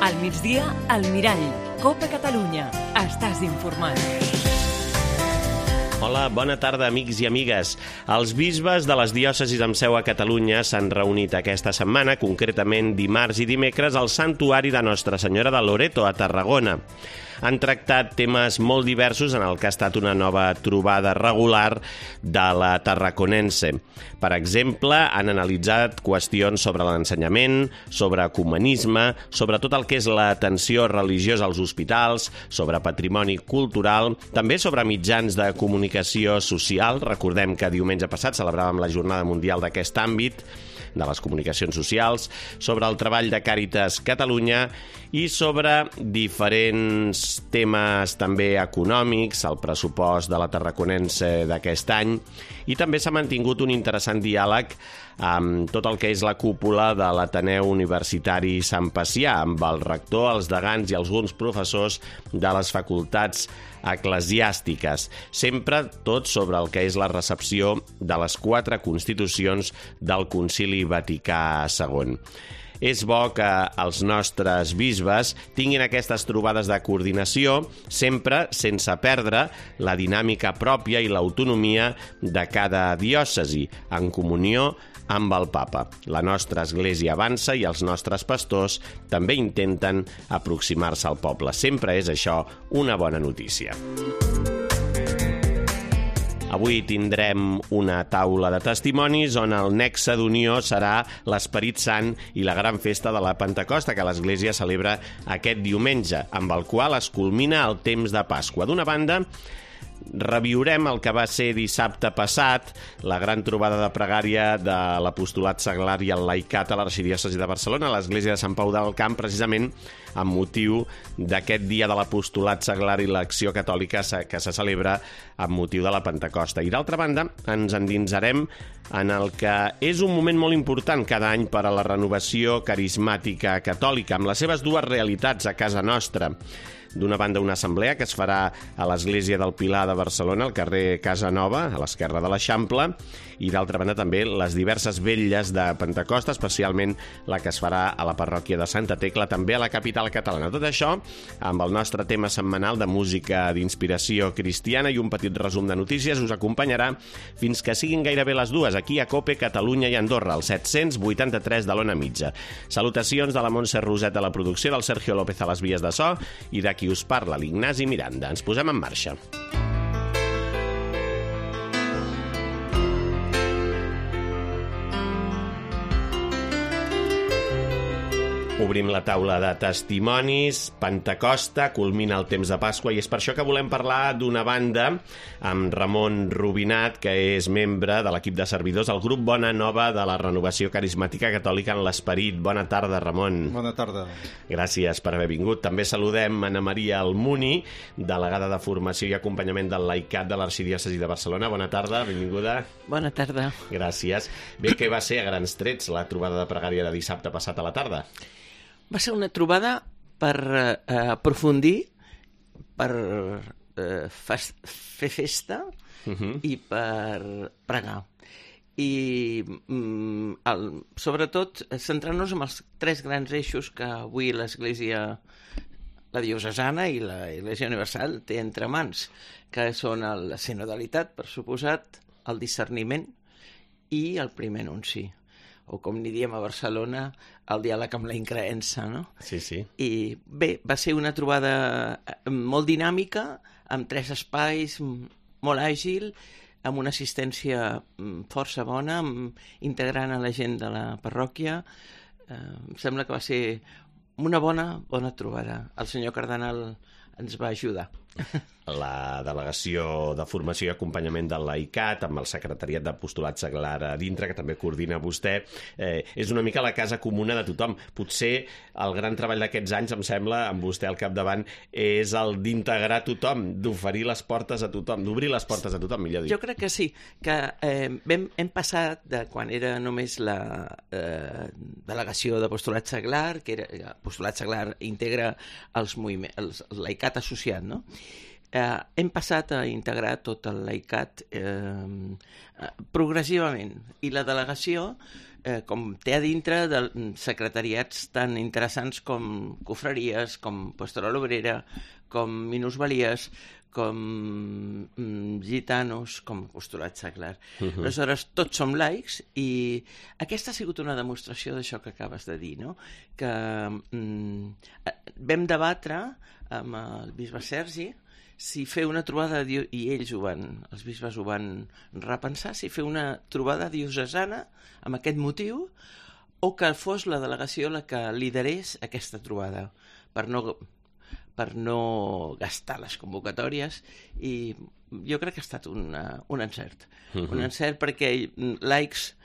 Al migdia, al Mirall. Copa Catalunya. Estàs informat. Hola, bona tarda, amics i amigues. Els bisbes de les diòcesis amb seu a Catalunya s'han reunit aquesta setmana, concretament dimarts i dimecres, al Santuari de Nostra Senyora de Loreto, a Tarragona. Han tractat temes molt diversos en el que ha estat una nova trobada regular de la Tarraconense. Per exemple, han analitzat qüestions sobre l'ensenyament, sobre ecumenisme, sobre tot el que és l'atenció religiosa als hospitals, sobre patrimoni cultural, també sobre mitjans de comunicació social. Recordem que diumenge passat celebràvem la Jornada Mundial d'aquest àmbit, de les comunicacions socials, sobre el treball de Càritas Catalunya i sobre diferents temes també econòmics, el pressupost de la Tarraconense d'aquest any, i també s'ha mantingut un interessant diàleg amb tot el que és la cúpula de l'Ateneu Universitari Sant Pacià, amb el rector, els degans i alguns professors de les facultats eclesiàstiques. Sempre tot sobre el que és la recepció de les 4 constitucions del Concili Vaticà II. És bo que els nostres bisbes tinguin aquestes trobades de coordinació, sempre sense perdre la dinàmica pròpia i l'autonomia de cada diòcesi, en comunió amb el papa. La nostra església avança i els nostres pastors també intenten aproximar-se al poble. Sempre és això una bona notícia. Avui tindrem una taula de testimonis on el nexe d'unió serà l'Esperit Sant i la gran festa de la Pentecosta que l'Església celebra aquest diumenge, amb el qual es culmina el temps de Pasqua. D'una banda, reviurem el que va ser dissabte passat, la gran trobada de pregària de l'Apostolat Seglar i el Laicat a l'Arxidiòcesi de Barcelona, a l'Església de Sant Pau del Camp, precisament amb motiu d'aquest dia de l'Apostolat Seglar i l'Acció Catòlica que se celebra amb motiu de la Pentecosta. I d'altra banda, ens endinsarem en el que és un moment molt important cada any per a la renovació carismàtica catòlica, amb les seves dues realitats a casa nostra. D'una banda, una assemblea que es farà a l'Església del Pilar de Barcelona, al carrer Casa Nova, a l'esquerra de l'Eixample, i d'altra banda també les diverses vetlles de Pentecosta, especialment la que es farà a la parròquia de Santa Tecla, també a la capital catalana. Tot això amb el nostre tema setmanal de música d'inspiració cristiana i un petit resum de notícies us acompanyarà fins que siguin gairebé les 2, aquí a COPE, Catalunya i Andorra, al 783 de l'Ona Mitja. Salutacions de la Montse Roset a la producció, del Sergio López a les vies de so i de qui us parla, l'Ignasi Miranda. Ens posem en marxa. Obrim la taula de testimonis, Pentecosta, culmina el temps de Pasqua i és per això que volem parlar d'una banda amb Ramon Rubinat, que és membre de l'equip de servidors al grup Bona Nova de la Renovació Carismàtica Catòlica en l'Esperit. Bona tarda, Ramon. Bona tarda. Gràcies per haver vingut. També saludem Anna Maria Almuni, delegada de Formació i Acompanyament del Laicat de l'Arxidiòcesi de Barcelona. Bona tarda, benvinguda. Bona tarda. Gràcies. Bé, què va ser a grans trets la trobada de pregària de dissabte passat a la tarda? Va ser una trobada per aprofundir, per fer festa i per pregar. I sobretot centrant-nos en els 3 grans eixos que avui l'Església, la diocesana i l'Església Universal té entre mans, que són la sinodalitat, per suposat, el discerniment i el primer anunci, o com n'hi diem a Barcelona, el diàleg amb la increença, no? Sí, sí. I bé, va ser una trobada molt dinàmica, amb 3 espais, molt àgil, amb una assistència força bona, integrant a la gent de la parròquia. Em sembla que va ser una bona trobada. El senyor cardenal ens va ajudar. La Delegació de Formació i Acompanyament del Laicat, amb el Secretariat d'Apostolat Seglar a dintre, que també coordina vostè, és una mica la casa comuna de tothom. Potser el gran treball d'aquests anys, em sembla, amb vostè al capdavant, és el d'integrar tothom, d'oferir les portes a tothom, d'obrir les portes a tothom, millor dit. Jo crec que sí, que hem passat de quan era només la Delegació d'Apostolat Seglar, que era Apostolat Seglar integra el Laicat associat, no? hem passat a integrar tot el laicat progressivament, i la delegació com té a dintre de secretariats tan interessants com confraries, com Pastoral Obrera, com minusvalies, com gitanos, com apostolat seglar. Aleshores, tots som laics, i aquesta ha sigut una demostració d'això que acabes de dir, no? Que vam debatre amb el bisbe Sergi si fer una trobada, i ells els bisbes ho van repensar, si fer una trobada diocesana amb aquest motiu, o que fos la delegació la que liderés aquesta trobada, per no gastar les convocatòries, i jo crec que ha estat un encert. Un encert perquè laics,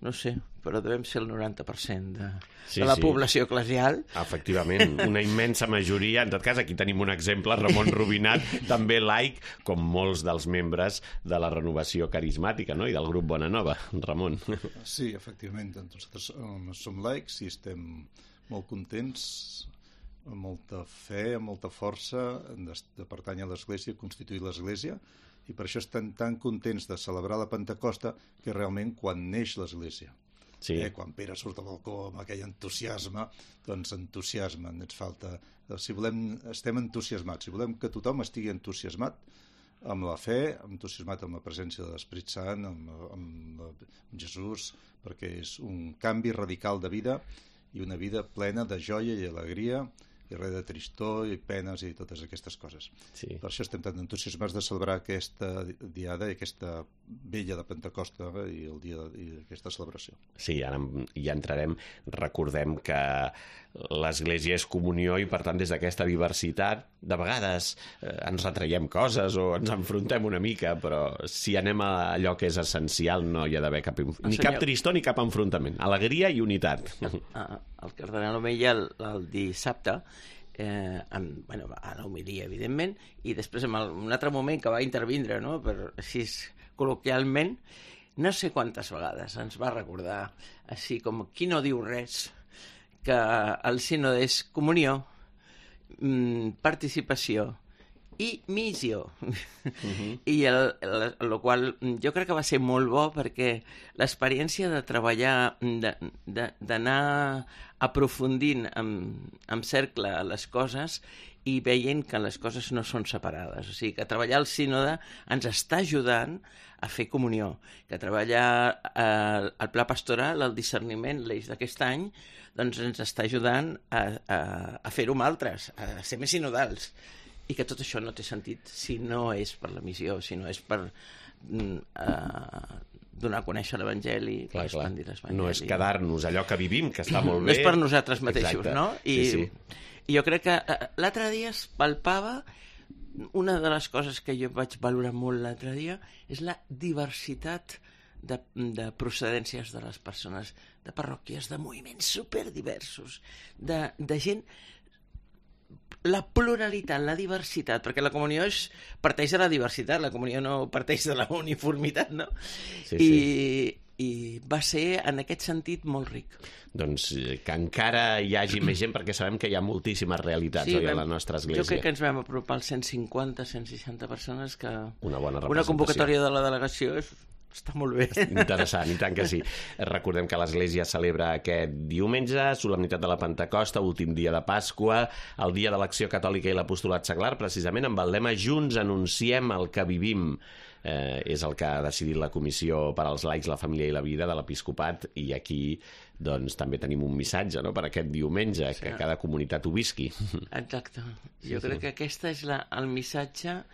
no sé, però devem ser el 90% de la població eclesial. Efectivament, una immensa majoria. En tot cas, aquí tenim un exemple, Ramon Rubinat, també laic, com molts dels membres de la renovació carismàtica, no? I del grup Bona Nova. Ramon. Sí, efectivament, nosaltres som laics i estem molt contents, amb molta fe, amb molta força de pertànyer a l'Església, constituir l'Església, i per això estem tan contents de celebrar la Pentecosta, que realment quan neix l'Església. Sí. Quan Pere surt al balcó amb aquell entusiasme, doncs entusiasme ens falta. Si volem, estem entusiasmats, si volem que tothom estigui entusiasmat amb la fe, entusiasmat amb la presència de l'Esperit Sant, amb Jesús, perquè és un canvi radical de vida, i una vida plena de joia i alegria, i res de tristor i penes i totes aquestes coses. Sí. Per això estem tan entusiasmats de celebrar aquesta diada i aquesta vella de Pentecosta i el dia d'aquesta celebració. Sí, ara ja entrarem. Recordem que l'Església és comunió i, per tant, des d'aquesta diversitat, de vegades ens retraiem coses o ens enfrontem una mica, però si anem a allò que és essencial no hi ha d'haver ni cap tristor ni cap enfrontament. Alegria i unitat. El cardenal Omeia el dissabte, a l'homilia, evidentment, i després en un altre moment que va intervindre, no? Així col·loquialment, no sé quantes vegades ens va recordar, així com qui no diu res, que el sínode és comunió, participació i missió. I el qual jo crec que va ser molt bo, perquè l'experiència de treballar, d'anar aprofundint en cercle les coses i veient que les coses no són separades. O sigui, que treballar al sínode ens està ajudant a fer comunió, que treballar el pla pastoral, el discerniment, l'eix d'aquest any, doncs ens està ajudant a fer-ho amb altres, a ser més sinodals. I que tot això no té sentit si no és per la missió, si no és per donar a conèixer l'Evangeli, per expandir l'Evangeli. No és quedar-nos allò que vivim, que està molt bé. No és per nosaltres mateixos, exacte. No? I jo crec que l'altre dia es palpava, una de les coses que jo vaig valorar molt l'altre dia, és la diversitat de procedències de les persones, de parròquies, de moviments superdiversos, de gent, la pluralitat, la diversitat, perquè la comunió parteix de la diversitat, la comunió no parteix de la uniformitat, no? I va ser, en aquest sentit, molt ric. Doncs que encara hi hagi més gent, perquè sabem que hi ha moltíssimes realitats a la nostra església. Jo crec que ens vam apropar als 150, 160 persones, que una bona representació. Una convocatòria de la delegació està molt bé. Interessant, i tant que sí. Recordem que l'Església celebra aquest diumenge, solemnitat de la Pentecosta, últim dia de Pasqua, el dia de l'Acció Catòlica i l'Apostolat Seglar, precisament amb el lema Junts anunciem el que vivim. És el que ha decidit la Comissió per als Laics, la Família i la Vida de l'Episcopat, i aquí doncs també tenim un missatge, no?, per aquest diumenge, que cada comunitat ho visqui. Exacte. Jo crec que aquest és el missatge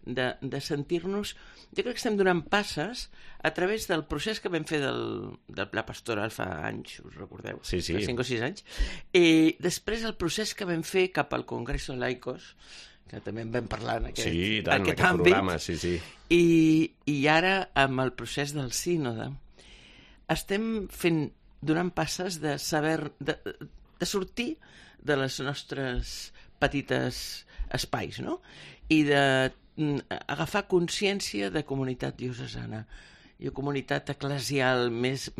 de sentir-nos. Jo crec que estem donant passes a través del procés que vam fer del Pla Pastoral fa anys, us recordeu? Sí. Fa 5 o 6 anys. I després el procés que vam fer cap al Congreso Laicos, que també en vam parlar en aquest àmbit. Programa, sí. I ara, amb el procés del sínode, estem donant passes de sortir de les nostres petites espais, no? I d'agafar consciència de comunitat diocesana i comunitat eclesial més,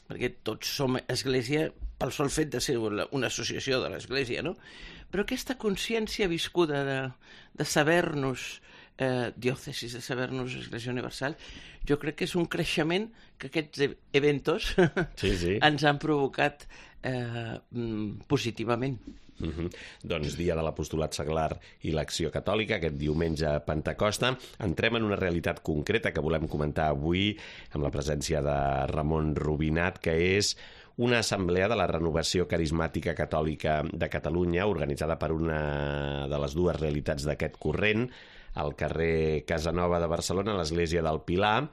perquè tots som església, pel sol fet de ser una associació de l'Església, no? Però aquesta consciència viscuda de saber-nos diòcesis, de saber-nos Església Universal, jo crec que és un creixement que aquests eventos ens han provocat positivament. Doncs dia de l'apostolat seglar i l'acció catòlica, aquest diumenge a Pentecosta. Entrem en una realitat concreta que volem comentar avui amb la presència de Ramon Rubinat, que és una assemblea de la Renovació Carismàtica Catòlica de Catalunya, organitzada per una de les dues realitats d'aquest corrent, al carrer Casanova de Barcelona, a l'església del Pilar,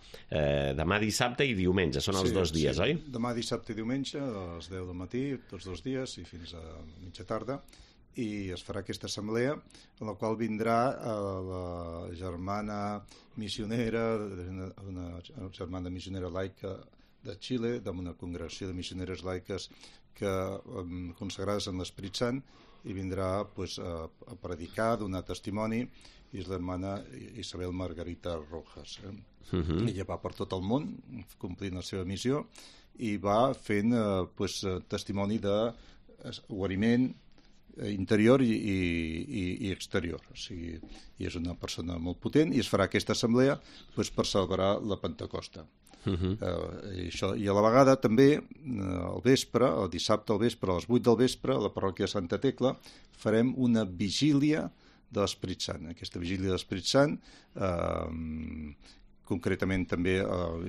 demà dissabte i diumenge. Són els dos dies, oi? Demà dissabte i diumenge, a les 10 del matí, tots dos dies, i fins a mitja tarda, i es farà aquesta assemblea, en la qual vindrà la germana missionera, una germana missionera laica de Xile, d'una congregació de missioneres laiques consagrades en l'Esperit Sant, i vindrà a predicar, a donar testimoni, i és l'hermana Isabel Margarita Rojas. Ella va per tot el món complint la seva missió i va fent testimoni de guariment interior i exterior. O sigui, i és una persona molt potent, i es farà aquesta assemblea per celebrar la Pentecosta. I a la vegada també al vespre, el dissabte al vespre, a les 8 del vespre, a la parròquia de Santa Tecla farem una vigília de l'Esperit Sant. Aquesta vigília de l'Esperit Sant, concretament també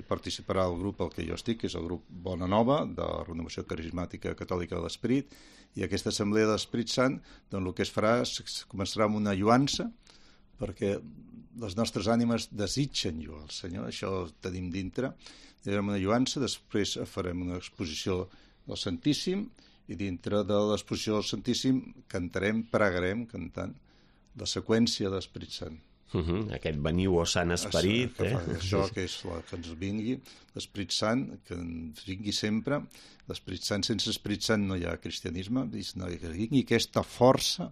participarà el grup al que jo estic, que és el grup Bona Nova, de la Renovació Carismàtica Catòlica de l'Esperit, i aquesta assemblea de l'Esperit Sant, doncs el que es farà començarà amb una lluança, perquè les nostres ànimes desitgen lluar el Senyor, això ho tenim dintre, farem una lluança, després farem una exposició del Santíssim, i dintre de l'exposició del Santíssim cantarem, pregarem, cantant, la seqüència de l'Esperit Sant. Aquest veniu, o Sant Esperit. Això que és que ens vingui, l'Esperit Sant, que ens vingui sempre. L'Esperit Sant, sense Esperit Sant no hi ha cristianisme, que vingui aquesta força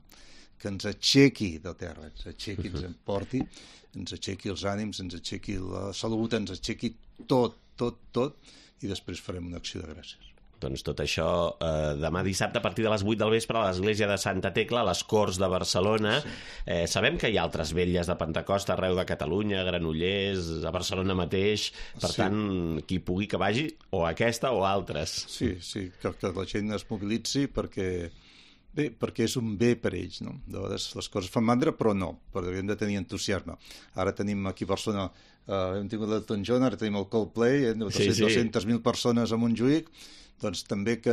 que ens aixequi de terra, ens aixequi, ens emporti, ens aixequi els ànims, ens aixequi la salut, ens aixequi tot, i després farem una acció de gràcies. Doncs tot això demà dissabte a partir de les 8 del vespre a l'església de Santa Tecla, a les Corts de Barcelona. Sabem que hi ha altres vetlles de Pentecosta arreu de Catalunya, Granollers, a Barcelona mateix, per tant, qui pugui que vagi, o aquesta o altres. Sí, que la gent es mobilitzi perquè és un bé per ells, no? De vegades les coses fan mandra, però no, perquè hem de tenir entusiasme. Ara tenim aquí a Barcelona, hem tingut l'Elton John, ara tenim el Coldplay, 200.000 persones a Montjuïc, doncs també que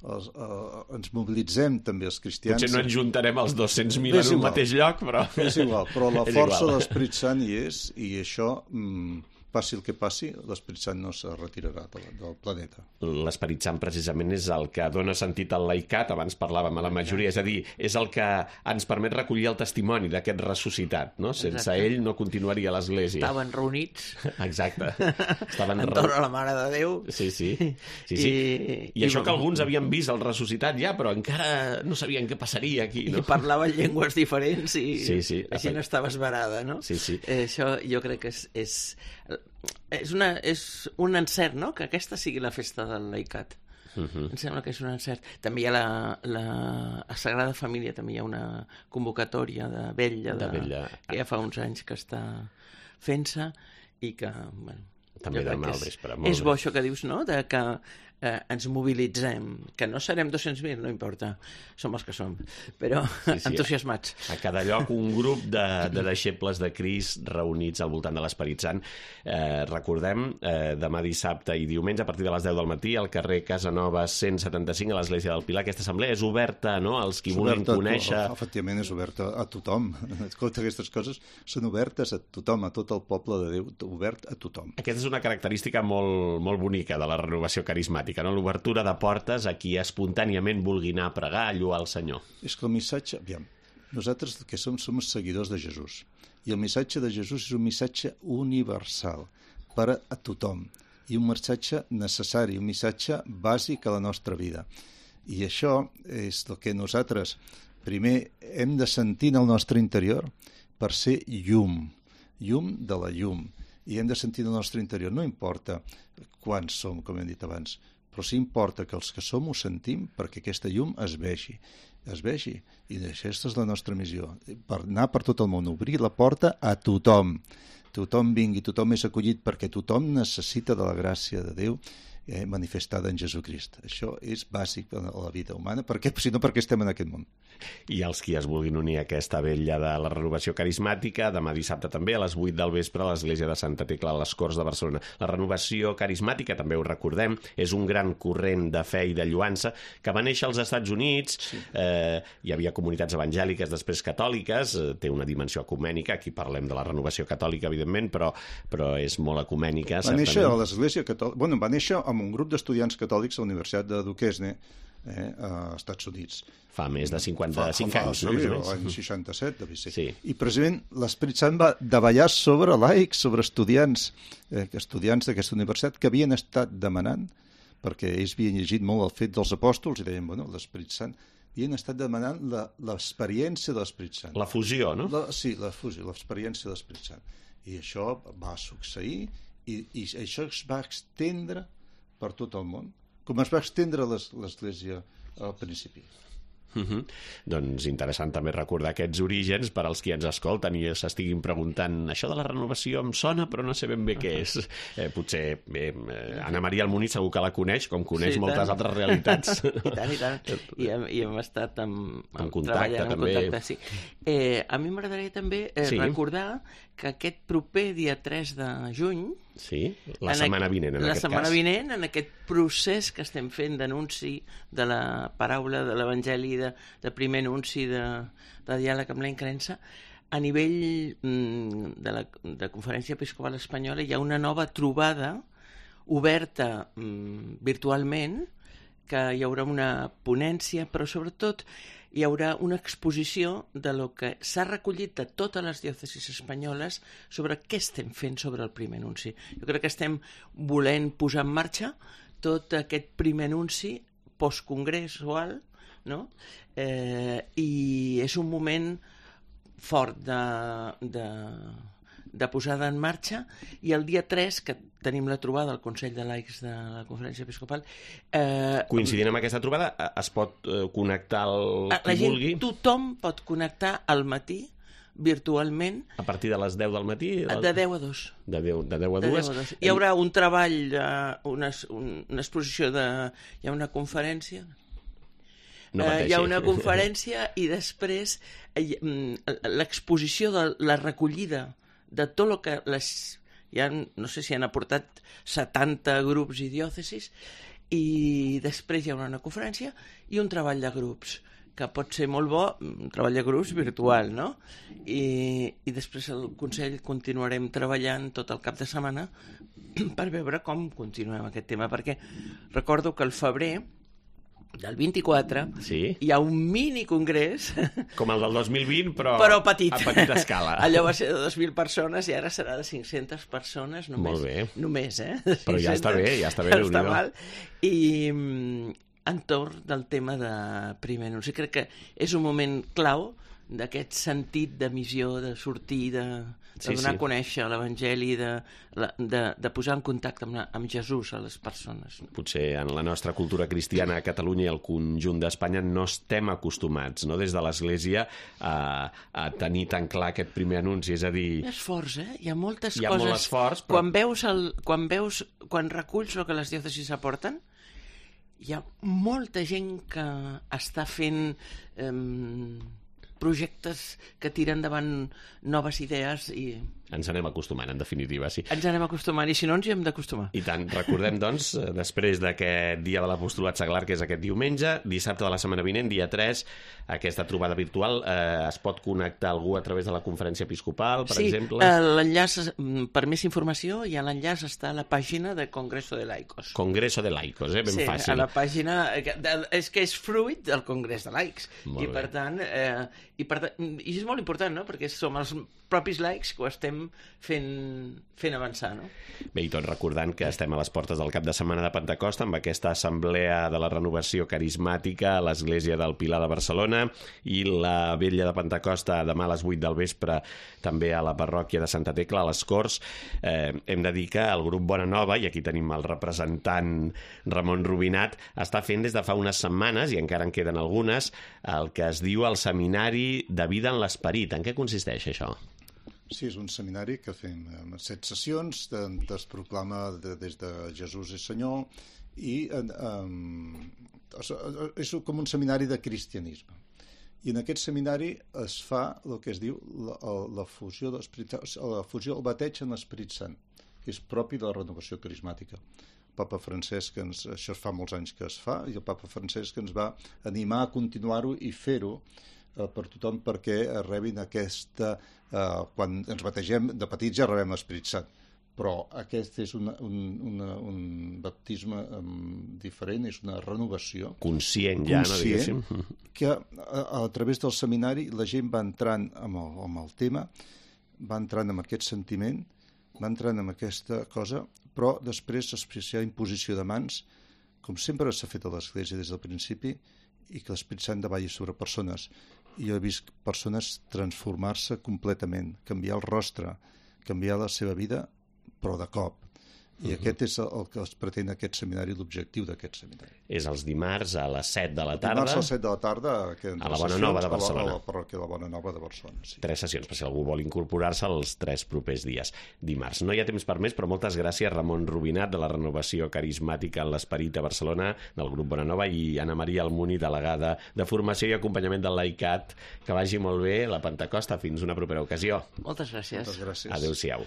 ens mobilitzem també els cristians. Potser no ens juntarem els 200.000 en un mateix lloc, però... És igual, però la força de l'Esperit Sant hi és, i això, passi el que passi, l'Esperit Sant no se retirarà del planeta. L'Esperit Sant precisament és el que dona sentit al laicat, abans parlàvem a la majoria, és a dir, és el que ens permet recollir el testimoni d'aquest ressuscitat, no? Sense ell no continuaria l'Església. Estaven reunits. Exacte. Entorn a la Mare de Déu. Sí. I això que alguns havien vist el ressuscitat ja, però encara no sabien què passaria aquí, no? I parlaven llengües diferents i la gent estava esverada, no? Sí. Això jo crec que és un encert, no?, que aquesta sigui la festa del laicat. Em sembla que és un encert. També hi ha a Sagrada Família també hi ha una convocatòria de vetlla que ja fa uns anys que està fent-se i que, bueno, també demà al vespre. És bo això que dius, no?, de que ens mobilitzem, que no serem 200.000, no importa, som els que som, però entusiasmats. A cada lloc un grup de deixebles de Crist reunits al voltant de l'Esperit Sant. Recordem, demà dissabte i diumenge a partir de les 10 del matí al carrer Casanova 175 a l'Església del Pilar. Aquesta assemblea és oberta, no?, als qui vulguin conèixer. Efectivament, és oberta a tothom. Totes aquestes coses són obertes a tothom, a tot el poble de Déu, obert a tothom. Aquesta és una característica molt, molt bonica de la renovació carismàtica, no? L'obertura de portes a qui espontàniament vulgui anar a pregar, a lluar el Senyor. És que el missatge... Aviam, nosaltres que som seguidors de Jesús, i el missatge de Jesús és un missatge universal per a tothom, i un missatge necessari, un missatge bàsic a la nostra vida. I això és el que nosaltres primer hem de sentir en el nostre interior per ser llum de la llum, i hem de sentir en el nostre interior, no importa quants som, com hem dit abans, però sí importa que els que som ho sentim perquè aquesta llum es vegi. I aquesta és la nostra missió, per anar per tot el món, obrir la porta a tothom. Tothom vingui, tothom és acollit perquè tothom necessita de la gràcia de Déu manifestada en Jesucrist. Això és bàsic a la vida humana, si no perquè estem en aquest món. I els qui es vulguin unir a aquesta vetlla de la renovació carismàtica, demà dissabte també a les 8 del vespre a l'església de Santa Tecla a les Corts de Barcelona. La renovació carismàtica, també ho recordem, és un gran corrent de fe i de lluança que va néixer als Estats Units. Sí. Hi havia comunitats evangèliques, després catòliques, té una dimensió ecumènica, aquí parlem de la renovació catòlica, evidentment, però és molt ecumènica. Va néixer a l'església catòlica, va néixer amb un grup d'estudiants catòlics a la Universitat de Duquesne, a Estats Units. Fa més de 55 anys, no? Sí, l'any 67, devia ser. Sí. I precisament l'Esperit Sant va davallar sobre laics, sobre estudiants d'aquesta universitat que havien estat demanant, perquè ells havien llegit molt el fet dels apòstols i deien, l'Esperit Sant, havien estat demanant l'experiència de l'Esperit Sant. La fusió, no? Sí, la fusió, l'experiència de l'Esperit Sant. I això va succeir i això es va estendre per tot el món, com es va estendre l'Església al principi. Doncs interessant també recordar aquests orígens per als qui ens escolten i s'estiguin preguntant això de la renovació em sona però no sé ben bé què és. Potser Anna Maria Almuniz segur que la coneix, com coneix moltes altres realitats. I tant. I hem estat en contacte també. Sí. A mi m'agradaria també recordar que aquest proper dia 3 de juny, la setmana vinent, en aquest procés que estem fent d'anunci de la paraula, de l'Evangeli, de primer anunci de diàleg amb la incrença, a nivell de Conferència Episcopal Espanyola hi ha una nova trobada oberta virtualment, que hi haurà una ponència, però sobretot hi haurà una exposició de lo que s'ha recollit de totes les diòcesis espanyoles sobre què estem fent sobre el primer anunci. Jo crec que estem volent posar en marxa tot aquest primer anunci postcongressual, no? I és un moment fort de posada en marxa, i el dia 3, que tenim la trobada al Consell de Laics de la Conferència Episcopal... Coincidint amb aquesta trobada, es pot connectar qui vulgui? Tothom pot connectar al matí, virtualment. A partir de les 10 del matí? De 10 a 2. De 10 a 2. Hi haurà un treball, una exposició, hi ha una conferència... hi ha una conferència i després l'exposició de la recollida de tot el que no sé si han aportat 70 grups i diòcesis, i després hi haurà una conferència i un treball de grups que pot ser molt bo, un treball de grups virtual, no? I després al Consell continuarem treballant tot el cap de setmana per veure com continuem aquest tema, perquè recordo que al febrer del 24 hi ha un mini congrés com el del 2020 però petit. A petita escala. Allò va ser de 2.000 persones i ara serà de 500 persones només. Molt bé. Només, però ja està bé, no està mal. I entorn del tema de primer anunci, crec que és un moment clau d'aquest sentit de missió, de sortir, de donar a conèixer l'Evangeli, de posar en contacte amb Jesús a les persones. Potser en la nostra cultura cristiana a Catalunya i al conjunt d'Espanya no estem acostumats, no, des de l'Església a tenir tan clar aquest primer anunci, és a dir... Hi ha esforç, Hi ha moltes coses. Hi ha molt esforç, però... Quan reculls el que les diòcesis aporten, hi ha molta gent que està fent... projectes que tiren endavant noves idees i... Ens anem acostumant, en definitiva, sí. Ens anem acostumant, i si no ens hi hem d'acostumar. I tant, recordem, doncs, després d'aquest dia de l'Apostolat Seglar, que és aquest diumenge, dissabte de la setmana vinent, dia 3, aquesta trobada virtual, es pot connectar algú a través de la Conferència Episcopal, per exemple? Sí, l'enllaç, per més informació, hi ha l'enllaç, està a la pàgina de Congreso de Laicos. Congreso de Laicos, ben fàcil. Sí, a la pàgina... És que és fruit del Congrés de Laics. I per tant, és molt important, no?, perquè som els propis laics que ho estem anem fent avançar, no? Bé, i tot recordant que estem a les portes del cap de setmana de Pentecosta amb aquesta assemblea de la renovació carismàtica a l'Església del Pilar de Barcelona i la vetlla de Pentecosta demà a les 8 del vespre també a la parròquia de Santa Tecla, a les Corts. Hem de dir que el grup Bona Nova, i aquí tenim el representant Ramon Rubinat, està fent des de fa unes setmanes, i encara en queden algunes, el que es diu el Seminari de Vida en l'Esperit. En què consisteix això? Sí, és un seminari que fem 7 sessions, es proclama des de Jesús és Senyor, i és com un seminari de cristianisme. I en aquest seminari es fa el que es diu la fusió, el bateig en l'Esperit Sant, que és propi de la renovació carismàtica. El papa Francesc, això fa molts anys que es fa, i el papa Francesc ens va animar a continuar-ho i fer-ho per tothom perquè rebin aquesta... quan ens bategem de petits ja rebem l'Esperit Sant, però aquest és un baptisme diferent, és una renovació. Conscient ja, no diguéssim. Que a través del seminari la gent va entrant amb el tema, va entrant amb aquest sentiment, va entrant amb aquesta cosa, però després hi ha imposició de mans, com sempre s'ha fet a l'Església des del principi, i que l'Esperit Sant davalli sobre persones. I jo he vist persones transformar-se completament, canviar el rostre, canviar la seva vida, però de cop. I aquest és el que es pretén aquest seminari, l'objectiu d'aquest seminari. És els dimarts a les 7 de la tarda. Dimarts a les 7 de la tarda a la Bona Nova de Barcelona. A la parròquia de la Bona Nova de Barcelona, sí. 3 sessions, per si algú vol incorporar-se els 3 propers dies. Dimarts. No hi ha temps per més, però moltes gràcies, Ramon Rubinat, de la Renovació Carismàtica en l'Esperit a Barcelona, del grup Bona Nova, i Anna Maria Almuni, delegada de Formació i Acompanyament del Laicat. Que vagi molt bé la Pentecosta. Fins una propera ocasió. Moltes gràcies. Moltes gràcies. Adéu-siau.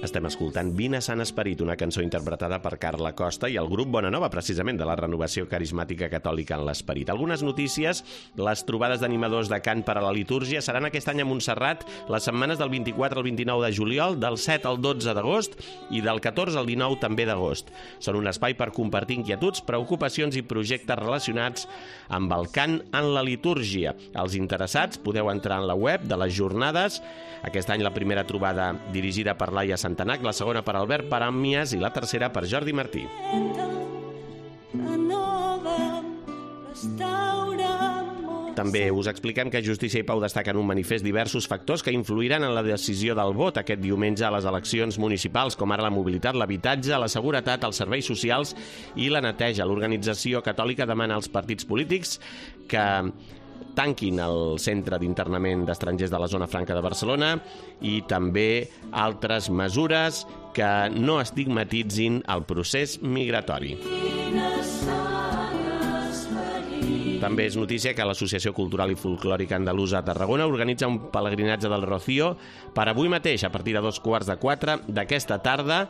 Estem escoltant Vine Sant Esperit, una cançó interpretada per Carla Costa i el grup Bona Nova, precisament, de la Renovació Carismàtica Catòlica en l'Esperit. Algunes notícies: les trobades d'animadors de cant per a la litúrgia seran aquest any a Montserrat les setmanes del 24 al 29 de juliol, del 7 al 12 d'agost i del 14 al 19 també d'agost. Són un espai per compartir inquietuds, preocupacions i projectes relacionats amb el cant en la litúrgia. Els interessats podeu entrar en la web de les jornades. Aquest any la primera trobada dirigida per Laia Santanac, la segona per Albert Paràmies i la tercera per Jordi Martí. També us expliquem que Justícia i Pau destaquen un manifest diversos factors que influiran en la decisió del vot aquest diumenge a les eleccions municipals, com ara la mobilitat, l'habitatge, la seguretat, els serveis socials i la neteja. L'organització catòlica demana als partits polítics que tanquin el centre d'internament d'estrangers de la zona franca de Barcelona i també altres mesures que no estigmatitzin el procés migratori. També és notícia que l'Associació Cultural i Folclòrica Andalusa a Tarragona organitza un pelegrinatge del Rocío per avui mateix, a partir de 3:15 d'aquesta tarda,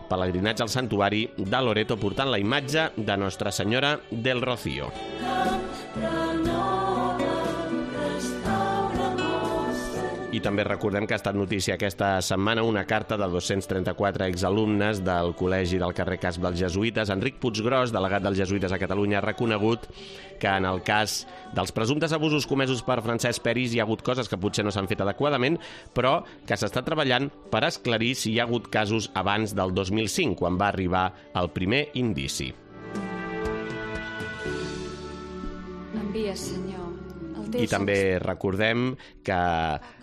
pelegrinatge al santuari de Loreto portant la imatge de Nostra Senyora del Rocío. I també recordem que ha estat notícia aquesta setmana una carta de 234 exalumnes del Col·legi del carrer Casp dels Jesuïtes. Enric Puiggròs, delegat dels Jesuïtes a Catalunya, ha reconegut que en el cas dels presumptes abusos comesos per Francesc Peris hi ha hagut coses que potser no s'han fet adequadament, però que s'està treballant per esclarir si hi ha hagut casos abans del 2005, quan va arribar el primer indici. Envia, Senyor. I també recordem que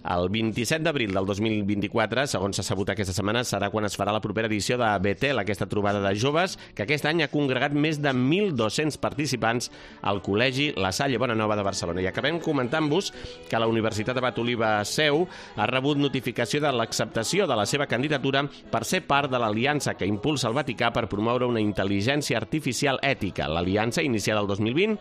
El 27 d'abril del 2024, segons s'ha sabut aquesta setmana, serà quan es farà la propera edició de Betel, aquesta trobada de joves, que aquest any ha congregat més de 1.200 participants al Col·legi La Salle Bonanova de Barcelona. I acabem comentant-vos que la Universitat Abat Oliba Seu ha rebut notificació de l'acceptació de la seva candidatura per ser part de l'aliança que impulsa el Vaticà per promoure una intel·ligència artificial ètica. L'aliança, iniciada el 2020,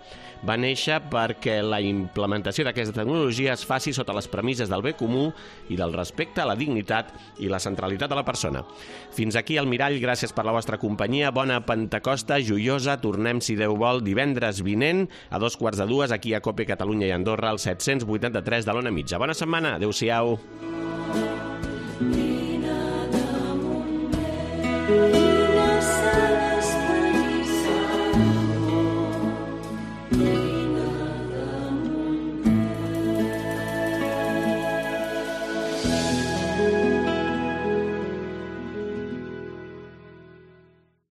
va néixer perquè la implementació d'aquesta tecnologia es faci sota les premisses del bé comú i del respecte a la dignitat i la centralitat de la persona. Fins aquí el Mirall, gràcies per la vostra companyia, bona Pentecosta joiosa, tornem, si Déu vol, divendres vinent a 2:45 aquí a COPE Catalunya i Andorra, al 783 de l'Ona Mitja. Bona setmana, adeu-siau.